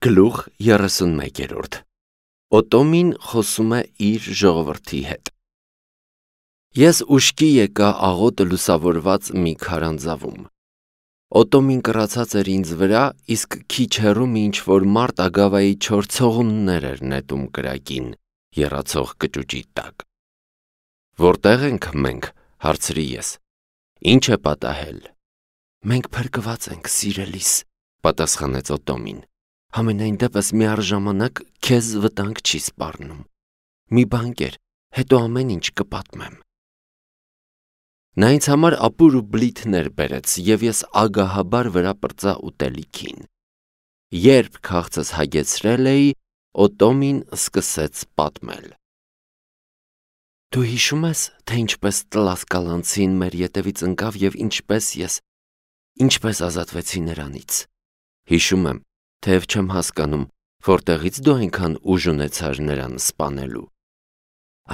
Գլուխ 31 Օտոմին խոսում է իր ժողովրդի հետ։ Ես ուշքի եկա աղոտ լուսավորված մի քարանձավում։ Օտոմին կռացած էր ինձ վրա, իսկ քիչ հեռու մի ինչ-որ մարդ ագավայի չոր ցողուններ էր նետում կրակին, եռացող կճուճի տակ։ Որտե՞ղ ենք մենք, հարցրի ես։ Ինչ է պատահել։ Մենք փրկված ենք, սիրելիս, պատասխանեց Օտոմին։ Համենայն դեպս միառժամանակ քեզ վտանգ չի սպառնում։ Մի բան կեր, հետո ամեն ինչ կպատմեմ։ Նա ինձ համար ապուր ու բլիթներ բերեց, և ես ագահաբար վրա պրծա ուտելիքին։ Երբ քաղցս հագեցրել էի, Օտոմին սկսեց պատմել։ Դու հիշում ես, թե ինչպես Տլասկալանցին մեր ետևից ընկավ և ինչպես ազատվեցի նրանից։ Հիշում եմ, թեև չեմ հասկանում, որտեղից դու այնքան ուժ ունեցար նրան սպանելու։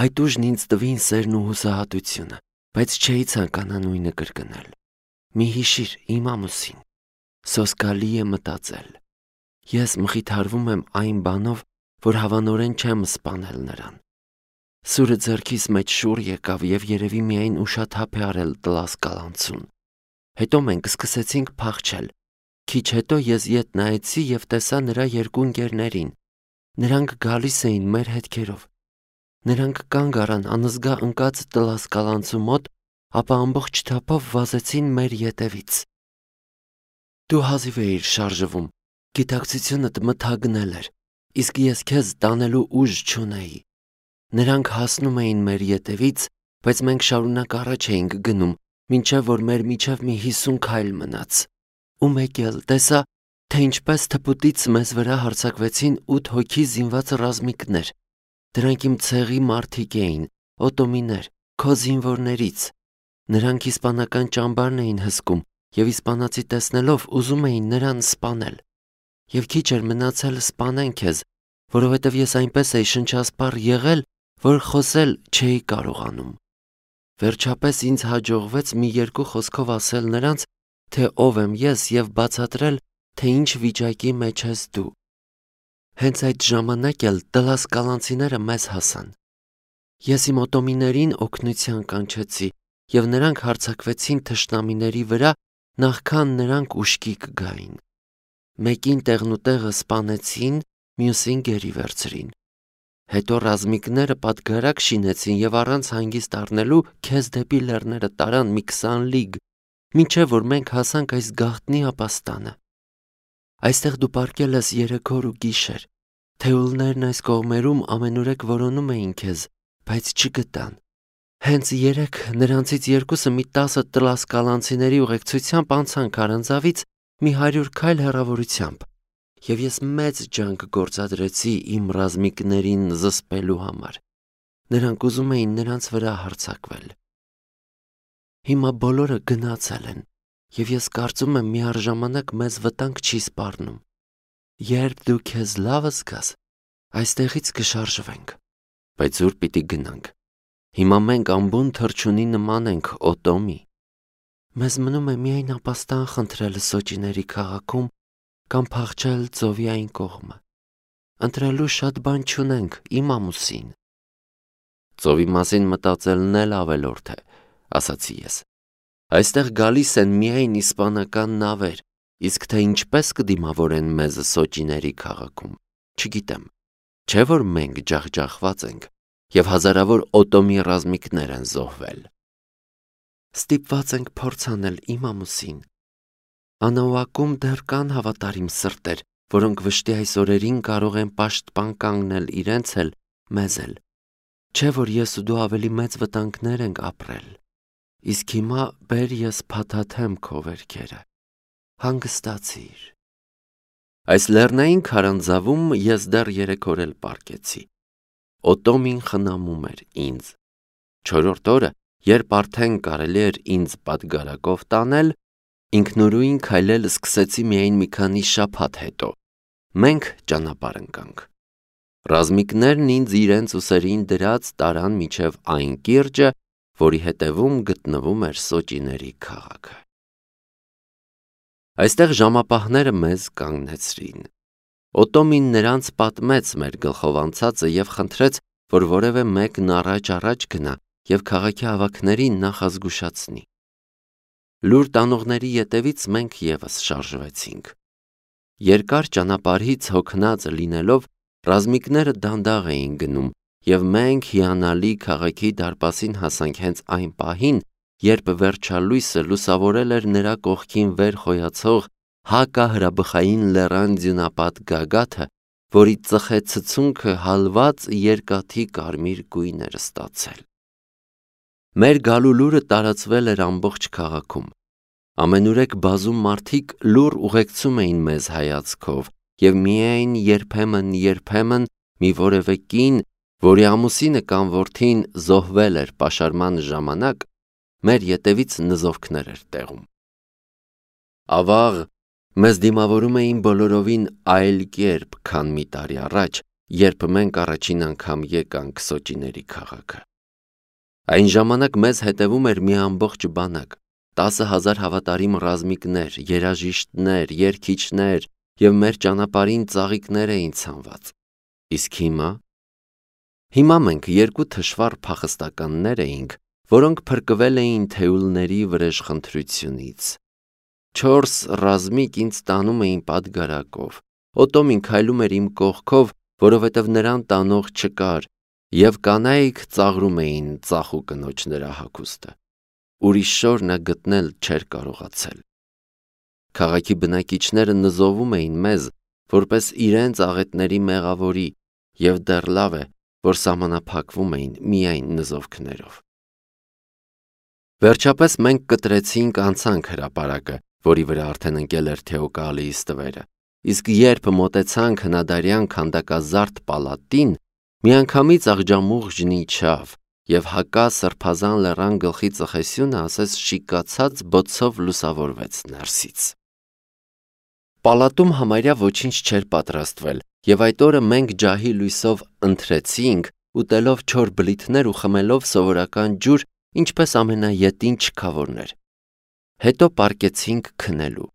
Այդ ուժն ինձ տվին սերն ու հուսահատությունը, բայց չէի ցանկանա նույնը կրկնել։ Մի հիշիր իմ ամուսին, սոսկալի է մտածել։ Ես մխիթարվում եմ այն բանով, որ հավանորեն չեմ սպանել նրան։ Սուրը ձեռքիս մեջ շուռ եկավ և երևի միայն ուշաթափ է արել Տլասկալանցուն։ Հետո մենք սկսեցինք փախչել։ Քիչ հետո ես ետ նայեցի և տեսա նրա երկու ընկերներին։ Նրանք գալիս էին մեր հետքերով։ Նրանք կանգ առան անզգա ընկած Տլասկալանցու մոտ, ապա ամբողջ թափով վազեցին մեր ետևից։ Դու հազիվ էիր շարժվում, գիտակցությունդ մթագնել էր, իսկ ես քեզ տանելու ուժ չունեի։ Նրանք հասնում էին մեր ետևից, բայց մենք շարունակ առաջ էինք գնում, մինչև որ մեր միջև մի 50 քայլ մնաց։ Ու մեկ էլ տեսա, թե ինչպես թփուտից մեզ վրա հարձակվեցին 8 հոգի զինված ռազմիկներ։ Դրանք իմ ցեղի մարդիկ էին, օտոմիներ, քո զինվորներից։ Նրանք իսպանական ճամբարն էին հսկում և իսպանացի տեսնելով ուզում էին նրան սպանել։ Եվ քիչ էր մնացել սպանեն քեզ, որովհետև ես այնպես էի շնչասպառ եղել, որ խոսել չէի կարողանում։ Վերջապես ինձ հաջողվեց մի երկու խոսքով ասել նրանց, թե ով եմ ես և բացատրել, թե ինչ վիճակի մեջ ես դու։ Հենց այդ ժամանակ էլ Տլասկալանցիները մեզ հասան։ Ես իմ օտոմիներին օգնության կանչեցի, և նրանք հարձակվեցին թշնամիների վրա, նախքան նրանք ուշքի կգային։ Մեկին տեղնուտեղը սպանեցին, մյուսին գերի վերցրին։ Հետո ռազմիկները պատգարակ շինեցին և առանց հանգիստ առնելու քեզ դեպի լեռները տարան մի 20 լիգ, մինչև որ մենք հասանք այս գաղտնի ապաստանը։ Այստեղ դու պառկել ես 3 օր ու գիշեր։ Թեուլներն այս կողմերում ամենուրեք որոնում էին քեզ, բայց չգտան։ Հենց երեկ նրանցից երկուսը մի 10 Տլասկալանցիների ուղեկցությամբ անցան քարանձավից մի 100 քայլ հեռավորությամբ, և ես մեծ ջանք գործադրեցի իմ ռազմիկներին զսպելու համար։ Նրանք ուզում էին նրանց վրա հարձակվել։ Հիմա բոլորը գնացել են, և ես կարծում եմ միառժամանակ մեզ վտանգ չի սպառնում։ Երբ դու քեզ լավ զգաս, այստեղից կշարժվենք։ Բայց ուր պիտի գնանք։ Հիմա մենք ամբուն թռչունի նման ենք, Օտոմի։ Մեզ մնում է միայն ապաստան խնդրել Սոճիների քաղաքում կամ փախչել ծովի այն կողմը։ Ընտրելու շատ բան չունենք, իմ ամուսին։ Ծովի մասին մտածելն էլ ավելորդ է, ասացի ես։ Այստեղ գալիս են միայն իսպանական նավեր, իսկ թե ինչպես կդիմավորեն մեզ Սոճիների քաղաքում, չգիտեմ։ Չէ՞ որ մենք ջախջախված ենք, և հազարավոր Օտոմի ռազմիկներ են զոհվել։ Ստիպված ենք փորձ անել, իմ ամուսին։ Անաուակում դեռ կան հավատարիմ սրտեր, որոնք վշտի այս օրերին կարող են պաշտպան կանգնել իրենց էլ, մեզ էլ։ Չէ՞ որ ես ու դու ավելի մեծ վտանգներ ենք ապրել։ Իսկ հիմա բեր ես փաթաթեմ քո վերքերը։ Հանգստացիր։ Այս լեռնային քարանձավում ես դեռ 3 օր էլ պառկեցի։ Օտոմին խնամում էր ինձ։ 4-րդ օրը, երբ արդեն կարելի էր ինձ պատգարակով տանել, ինքնուրույն քայլել սկսեցի միայն մի քանի շաբաթ հետո։ Մենք ճանապարհ ընկանք։ Ռազմիկներն ինձ իրենց ուսերին դրած տարան մինչև այն կիրճը, որի հետևում գտնվում էր Սոճիների քաղաքը։ Այստեղ ժամապահները մեզ կանգնեցրին։ Օտոմին նրանց պատմեց մեր գլխով անցածը և խնդրեց, որ որևէ մեկն առաջ գնա և քաղաքի ավագներին նախազգուշացնի։ Լուր տանողների ետևից մենք ևս շարժվեցինք։ Երկար ճանապարհից հոգնած լինելով ռազմիկները դանդաղ էին գնում, և մենք հիանալի քաղաքի դարպասին հասանք հենց այն պահին, երբ վերջալույսը լուսավորել էր նրա կողքին վեր խոյացող հակահրաբխային լեռան ձյունապատ գագաթը, որի ծխե ցցունքը հալված երկաթի կարմիր գույն էր ստացել։ Մեր գալու լուրը տարածվել էր ամբողջ քաղաքում։ Ամենուրեք բազում մարդիկ լուռ ուղեկցում էին մեզ հայացքով, և միայն երբեմն մի որևէ կին, որի ամուսինը կամ որդին զոհվել էր պաշարման ժամանակ, մեր ետևից նզովքներ էր տեղում։ Ավաղ, մեզ դիմավորում էին բոլորովին այլ կերպ, քան մի տարի առաջ, երբ մենք առաջին անգամ եկանք Սոճիների քաղաքը։ Այն ժամանակ մեզ հետևում էր մի ամբողջ բանակ, 10,000 հավատարիմ ռազմիկներ, երաժիշտներ, երգիչներ և մեր ճանապարհին ծաղիկներ էին ցանված։ Իսկ հիմա մենք երկու թշվառ փախստականներ էինք, որոնք փրկվել էին թեյուլների վրեժխնդրությունից։ 4 ռազմիկ ինձ տանում էին պատգարակով։ Օտոմին քայլում էր իմ կողքով, որովհետև նրան տանող չկար, և կանայք ծաղրում էին ծախու կնոջ նրա հագուստը։ Ուրիշ շոր նա գտնել չէր կարողացել։ Քաղաքի բնակիչները նզովում էին մեզ, որպես իրենց աղետների մեղավորի, և դեռ լավ է, որ սահմանափակվում էին միայն նզովքներով։ Վերջապես մենք կտրեցինք անցանք հրապարակը, որի վրա արդեն ընկել էր Թեոկալիի ստվերը, իսկ երբ մոտեցանք հնադարյան քանդակազարդ պալատին, միանգամից աղջամուղջն իջավ, և հակա սրբազան լեռան գլխի ծխեսյունը ասես շիկացած բոցով լուսավորվեց ներսից։ Պալատում համարյա ոչինչ չէր պատրաստվել, և այդ օրը մենք ջահի լույսով ընթրեցինք, ուտելով չոր բլիթներ ու խմելով սովորական ջուր, ինչպես ամենաետին չքավորներ։ Հետո պառկեցինք քնելու։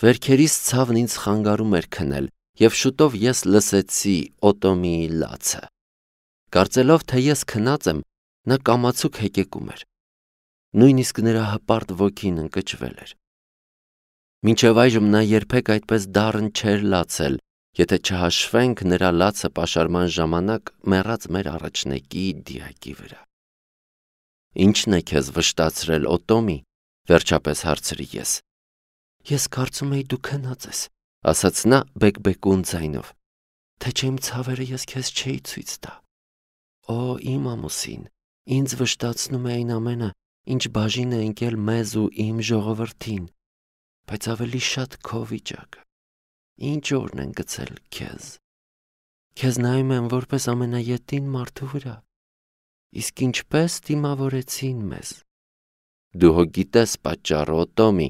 Վերքերիս ցավն ինձ խանգարում էր քնել, և շուտով ես լսեցի Օտոմիի լացը։ Կարծելով, թե ես քնած եմ, նա կամացուկ հեկեկում էր։ Նույնիսկ նրա հպարտ ոգին ընկճվել էր։ Մինչև այժմ նա երբեք այդպես դառն չէր լացել, եթե չհաշվենք նրա լացը պաշարման ժամանակ մեռած մեր առաջնեկի դիակի վրա։ Ի՞նչն է քեզ վշտացրել, Օտոմի, վերջապես հարցրի ես։ Ես կարծում էի դու քնած ես, ասաց նա բեկբեկուն ձայնով, թե չէ իմ ցավերը ես քեզ չէի ցույց տա։ Օ, իմ ամուսին, ինձ վշտացնում է այն ամենը, ինչ բաժին է ընկել մեզ ու իմ ժողովրդին, բայց ավելի շատ քո վիճակը։ Ինչ օրն են գցել քեզ։ Քեզ նայում եմ որպես ամենաետին մարդու վրա, իսկ ինչպես դիմավորեցին մեզ։ Դու հո գիտես պատճառը, Օտոմի,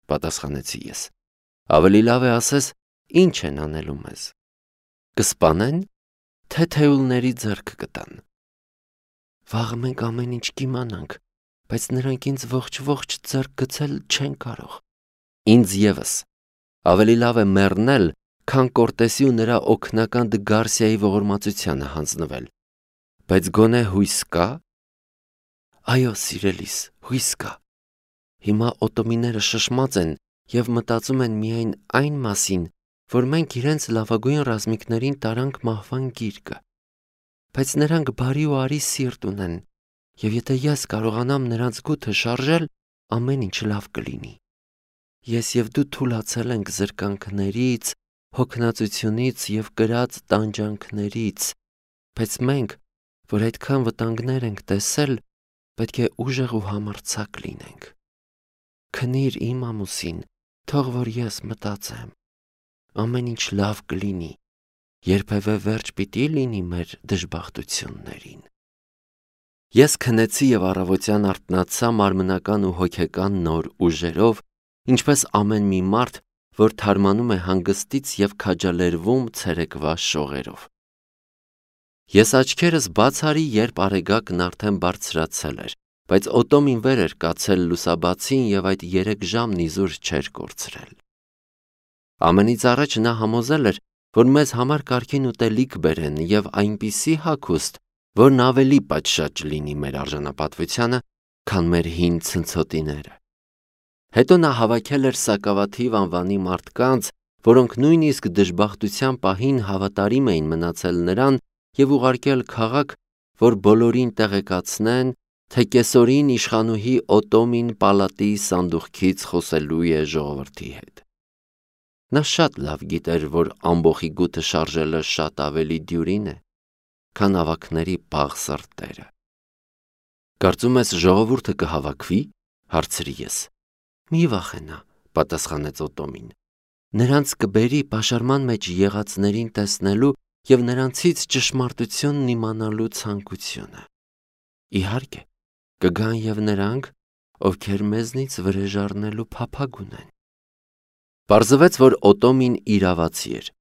պատասխանեցի ես։ Ավելի լավ է ասես, ինչ են անելու մեզ։ Կսպանեն, թե թեյուլների ձեռք կտան։ Վաղը մենք ամեն ինչ կիմանանք, բայց նրանք ինձ ողջ ձեռք գցել չեն կարող։ Ինձ ևս։ Ավելի լավ է մեռնել, քան Կորտեսի ու նրա օգնական Դգարսիայի ողորմածությանը հանձնվել։ Բայց գոնե հույս կա։ Այո, սիրելիս, հույս կա։ Հիմա օտոմիները շշմած են և մտածում են միայն այն մասին, որ մենք իրենց լավագույն ռազմիկներին տարանք մահվան գիրկը։ Բայց նրանք բարի ու արի սիրտ ունեն, և եթե ես կարողանամ նրանց գութը շարժել, ամեն ինչ լավ կլինի։ Ես և դու թուլացել ենք զրկանքներից, հոգնածությունից և կրած տանջանքներից, բայց մենք, որ այդքան վտանգներ ենք տեսել, պետք է ուժեղ ու համարձակ լինենք։ Քնիր, իմ ամուսին, թող որ ես մտածեմ։ Ամեն ինչ լավ կլինի, երբևէ վերջ պիտի լինի մեր դժբախտություններին։ Ես քնեցի և առավոտյան արթնացա մարմնական ու հոգեկան նոր ուժերով, ինչպես ամեն մի մարդ, որ թարմանում է հանգստից և քաջալերվում ցերեկվա շողերով։ Ես աչքերս բաց արի, երբ արեգակն արդեն բարձրացել էր, բայց Օտոմին վեր էր կացել լուսաբացին և այդ 3 ժամն իզուր չէր կորցրել։ Ամենից առաջ նա համոզել էր, որ մեզ համար կարգին ուտելիք բերեն եւ այնպիսի հագուստ, որն ավելի պատշաճ լինի մեր արժանապատվությանը, քան մեր հին ցնցոտիները։ Հետո նա հավաքել էր սակավաթիվ անվանի մարդկանց, որոնք նույնիսկ դժբախտության պահին հավատարիմ էին մնացել նրան եւ ուղարկել քաղաք, որ բոլորին տեղեկացնեն, թե կեսօրին իշխանուհի Օտոմին պալատի սանդուղքից խոսելու է ժողովրդի հետ։ Նա շատ լավ գիտեր, որ ամբոխի գութը շարժելը շատ ավելի դյուրին է, քան ավակների բաղ սրտերը։ Կարծում ես ժողովուրդը կհավաքվի, հարցրի ես։ Մի վախենա, պատասխանեց Օտոմին։ Նրանց կբերի պաշարման մեջ եղածներին տեսնելու եւ նրանցից ճշմարտությունն իմանալու ցանկությունը։ Իհարկե, կգան եւ նրանք, ովքեր մեզնից վրեժառնելու փափագ ունեն։ Պարզվեց, որ Օտոմին իրավացի էր։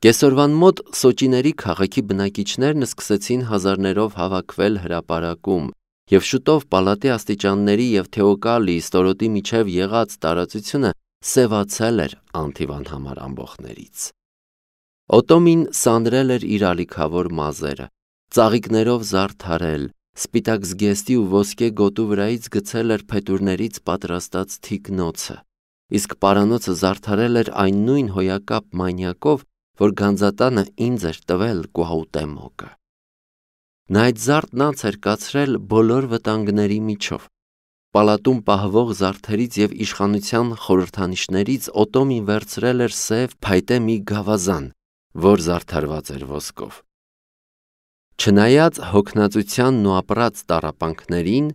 Կեսօրվան մոտ Սոճիների քաղաքի բնակիչներն սկսեցին հազարներով հավաքվել հրապարակում, եւ շուտով պալատի աստիճանների եւ Թեոկալի ստորոտի միջև եղած տարածությունը սևացել էր անթիվան համար ամբոխներից։ Օտոմին սանրել էր իր ալիքավոր մազերը, ծաղիկներով զարդարել, սպիտակ զգեստի ու ոսկե գոտու վրայից գցել էր փետուրներից պատրաստած թիկնոցը, իսկ պարանոցը զարդարել էր այն նույն հոյակապ մանյակով, որ գանձատանը ինձ էր տվել Կուահուտեմոկը։ Նա այդ զարդն անց էր կացրել բոլոր վտանգների միջով։ Պալատում պահվող զարդերից եւ իշխանության խորհրդանիշներից Օտոմին վերցրել էր սև փայտե մի գավազան, որ զարդարված էր ոսկով։ Չնայած հոգնածությանն ու ապրած տառապանքներին,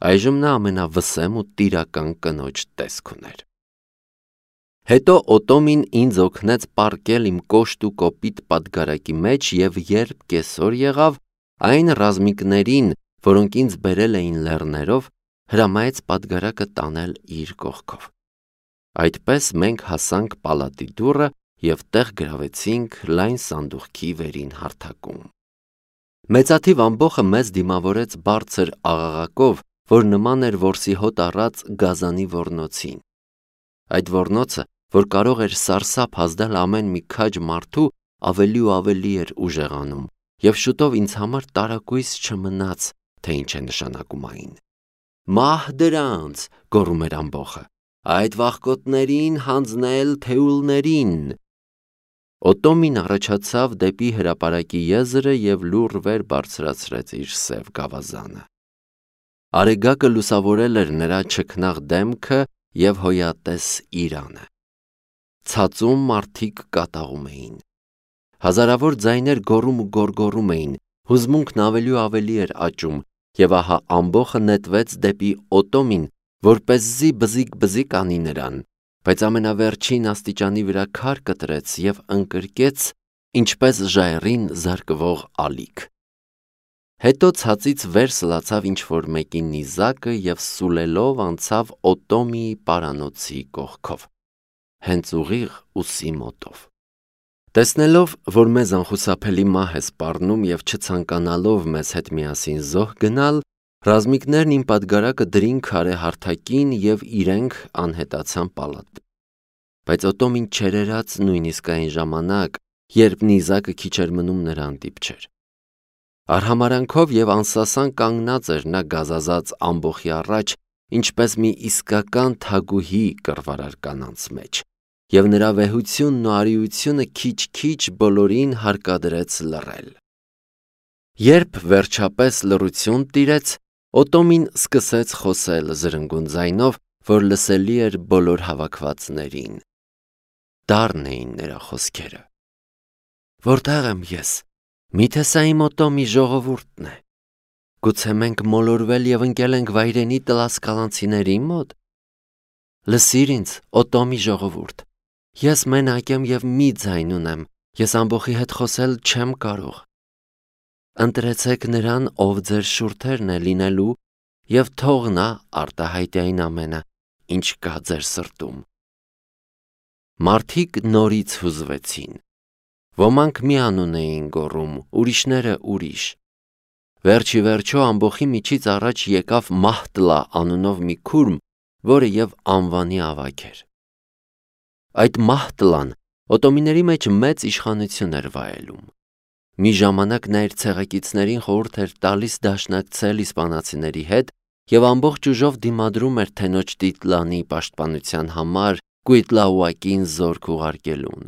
այժմ նա ամենավսեմ ու տիրական կնոջ տեսք ուներ։ Հետո Օտոմին ինձ օգնեց պառկել իմ կոշտ ու կոպիտ պատգարակի մեջ եւ երբ կեսօր եղավ, այն ռազմիկներին, որոնք ինձ բերել էին լեռներով, հրամայեց պատգարակը տանել իր կողքով։ Այդպես մենք հասանք պալատի դուռը եւ տեղ գրավեցինք լայն սանդուղքի վերին հարթակում։ Մեծաթիվ ամբոխը մեզ դիմավորեց բարձր աղաղակով, որ նման էր որսի հոտ առած գազանի ոռնոցին։ Այդ ոռնոցը, որ կարող էր սարսափ ազդել ամեն մի քաջ մարդու, ավելի ու ավելի էր ուժեղանում, եւ շուտով ինձ համար տարակույս չմնաց, թե ինչ է նշանակում այն։ Մահ դրանց, գոռում էր ամբոխը, այդ վախկոտներին հանձնել թեուլներին։ Օտոմին առաջացավ դեպի հրապարակի եզրը եւ լուռ վեր բարձրացրեց իր սև գավազանը։ Արեգակը լուսավորել էր նրա չքնաղ դեմքը եւ հոյատես իրանը։ Ցածում մարդիկ կատաղում էին։ Հազարավոր ձայներ գոռում ու գոռգոռում էին, հուզմունքն ավելի ու ավելի էր աճում, եւ ահա ամբոխը նետվեց դեպի Օտոմին, որպեսզի բզիկ անի նրան, բայց ամենավերջին աստիճանի վրա քար կտրեց եւ ընկրկեց, ինչպես ժայռին զարկվող ալիք։ Հետո ցածից վեր սլացավ ինչ-որ մեկի նիզակը եւ սուլելով անցավ Օտոմիի պարանոցի կողքով, հենց ուղիղ ուսի մոտով։ Տեսնելով, որ մեզ անխուսափելի մահ է սպառնում եւ չցանկանալով մեզ հետ միասին զոհ գնալ, ռազմիկներն իմ պատգարակը դրին քարե հարթակին եւ իրենք անհետացան պալատ։ Բայց Օտոմին չերերաց նույնիսկ այն ժամանակ, երբ նիզակը քիչ էր մնում նրան դիպչեր։ Արհամարանքով եւ անսասան կանգնած էր նա գազազած ամբոխի առաջ, ինչպես մի իսկական թագուհի կռվարար կանանց մեջ, եւ նրա վեհությունն ու արիությունը քիչ-քիչ բոլորին հարկադրեց լռել։ Երբ վերջապես լռություն տիրեց, Օտոմին սկսեց խոսել զրնգուն ձայնով, որ լսելի էր բոլոր հավաքվածներին։ Դառն էին նրա խոսքերը։ Որտեղ եմ ես։ Միթե սա իմ Օտոմի ժողովուրդն է։ Գուցե մենք մոլորվել եւ ընկել ենք վայրենի տլասկալանցիների մոտ։ Լսիր ինձ, Օտոմի ժողովուրդ։ Ես մենակ եմ եւ մի ձայն ունեմ։ Ես ամբոխի հետ խոսել չեմ կարող։ Ընտրեցեք նրան, ով ձեր շուրթերն է լինելու, եւ թող նա արտահայտի այն ամենը, ինչ կա ձեր սրտում։ Մարդիկ նորից հուզվեցին։ Ոմանք մի անուն էին գոռում, ուրիշները ուրիշ։ Վերջի վերջո ամբոխի միջից առաջ եկավ Մահտլա անունով մի քուրմ, որը եւ անվանի ավագ էր։ Այդ Մահտլան Օտոմիների մեջ մեծ իշխանություն էր վայելում։ Մի ժամանակ նա իր ցեղակիցներին խորհուրդ էր տալիս դաշնակցել իսպանացիների հետ և ամբողջ ուժով դիմադրում էր թենոջ Տիտլանի պաշտպանության համար Կուիտլաուակին զորք ուղարկելուն։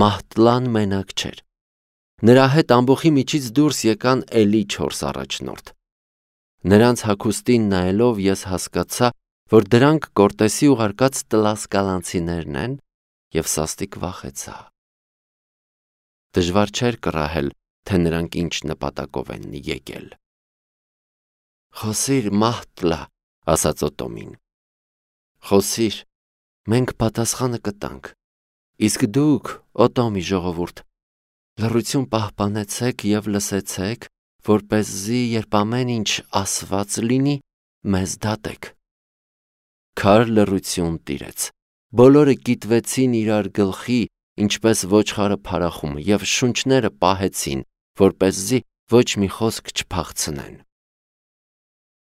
Մահտլան մենակ չէր։ Նրա հետ ամբոխի միջից դուրս եկան էլի 4 առաջնորդ։ Նրանց հագուստին նայելով ես հասկացա, որ դրանք Կորտեսի ուղարկած տլասկալանցիներն են և սաստիկ վախեցա։ Դժվար չէր կռահել, թե նրանք ինչ նպատակով են եկել։ «Խոսիր, Մահտլա», ասաց Օտոմին։ «Խոսիր, մենք պատասխանը կտանք, իսկ դուք, Օտոմի ժողովուրդ, լռություն պահպանեցեք և լսեցեք, որպեսզի երբ ամեն ինչ ասված լինի, մեզ դատեք»։ Քար լռություն տիրեց։ Բոլորը կիտվեցին իրար գլխի, ինչպես ոչխարը փարախում, և շունչները պահեցին, որպեսզի ոչ մի խոսք չփախցնեն։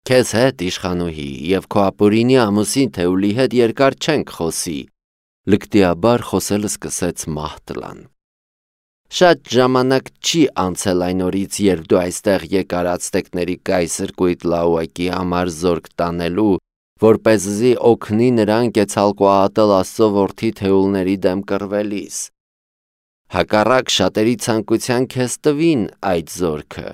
«Քեզ հետ, իշխանուհի, և քո ապօրինի ամուսին Թեուլի հետ երկար չենք խոսի», լկտիաբար խոսել սկսեց Մահտլան։ «Շատ ժամանակ չի անցել այն օրից, երբ դու այստեղ եկար ացտեկների կայսր Կուիտլաուակի համար զորք տանելու, որպեսզի օգնի նրան Կեցալկոատլ Աստծո որդի Թեուլների դեմ կռվելիս։ Հակառակ շատերի ցանկության քեզ տվին այդ զորքը։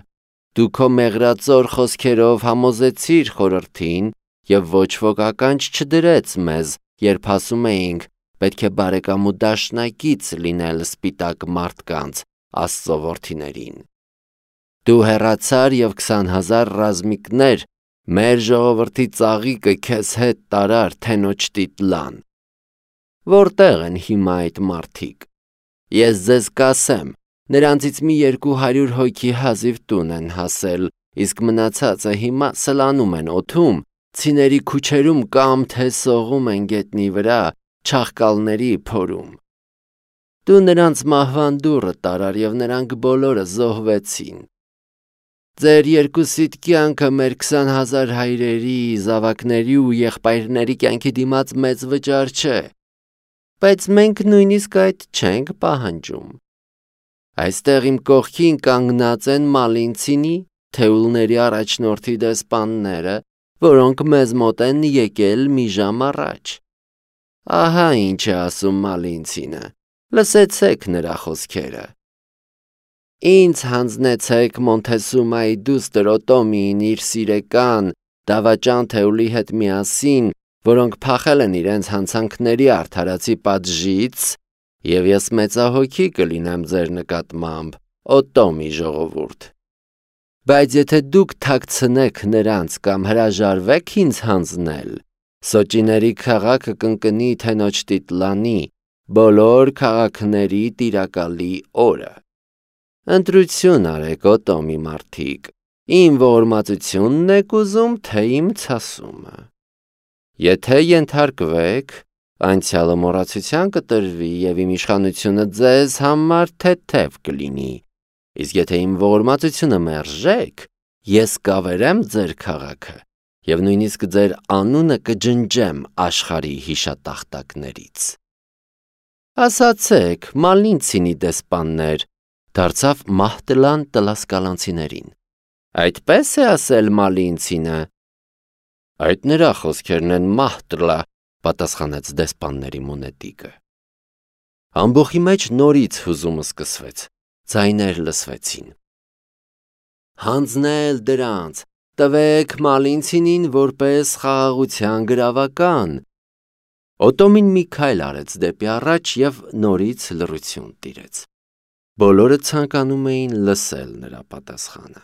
Դու քո մեղրածոր խոսքերով համոզեցիր խորհրդին և ոչ ոք ականջ չդրեց մեզ, երբ ասում էինք, պետք է բարեկամ ու դաշնակից լինել սպիտակ մարդկանց, Աստծո որդիներին։ Դու հեռացար և 20,000 ռազմիկներ մեր ժողովրդի ծաղիկը քեզ հետ տարար թենոջ Տիտլան։ Որտեղ են հիմա այդ մարդիկ։ Ես ձեզ կասեմ, նրանցից մի 200 հոգի հազիվ տուն են հասել, իսկ մնացածը հիմա սլանում են օդում, ցիների քուչերում կամ թե սողում են գետնի վրա, չաղկալների փորում։ Դու նրանց մահվան դուռը տարար և նրանք բոլորը զոհվեցին։ Ձեր երկուսիդ կյանքը մեր 20,000 հայրերի, զավակների ու եղբայրների կյանքի դիմաց մեծ վճար չէ, բայց մենք նույնիսկ այդ չենք պահանջում։ Այստեղ իմ կողքին կանգնած են Մալինցինի, Թեուլների առաջնորդի դեսպանները, որոնք մեզ մոտ են եկել մի ժամ առաջ։ Ահա ինչ է ասում Մալինցինը, լսեցեք նրա խոսքերը։ Ինձ հանձնեցեք Մոնթեսումայի դուստր Օտոմին իր սիրեկան, դավաճան Թեուլի հետ միասին, որոնք փախել են իրենց հանցանքների արդարացի պատժից, և ես մեծահոգի կլինեմ ձեր նկատմամբ, Օտոմի ժողովուրդ։ Բայց եթե դուք թաքցնեք նրանց կամ հրաժարվեք ինձ հանձնել, Սոճիների քաղաքը կընկնի թենոջ Տիտլանի, բոլոր քաղաքների տիրակալի օրը։ Ընտրություն արեք, Օտոմի մարդիկ, իմ ողորմածությունն եք ուզում, թե իմ ցասումը։ Եթե ենթարկվեք, անցյալը մոռացության կտրվի և իմ իշխանությունը ձեզ համար թեթև կլինի, իսկ եթե իմ ողորմածությունը մերժեք, ես կավերեմ ձեր քաղաքը և նույնիսկ ձեր անունը կջնջեմ աշխարհի հիշատախտակներից։ Ասացեք, Մալինցինի դեսպաններ, դարձավ Մահտլան տլասկալանցիներին։ Այդպես է ասել Մալինցինը։ Այդ նրա խոսքերն են, Մահտլա, պատասխանեց դեսպանների մունետիկը։ Ամբոխի մեջ նորից հուզումը սկսվեց, ձայներ լսվեցին։ Հանձնել դրանց, տվեք Մալինցինին որպես խաղաղության գրավական։ Օտոմին մի քայլ արեց դեպի առաջ և նորից լռություն տիրեց։ Բոլորը ցանկանում էին լսել նրա պատասխանը։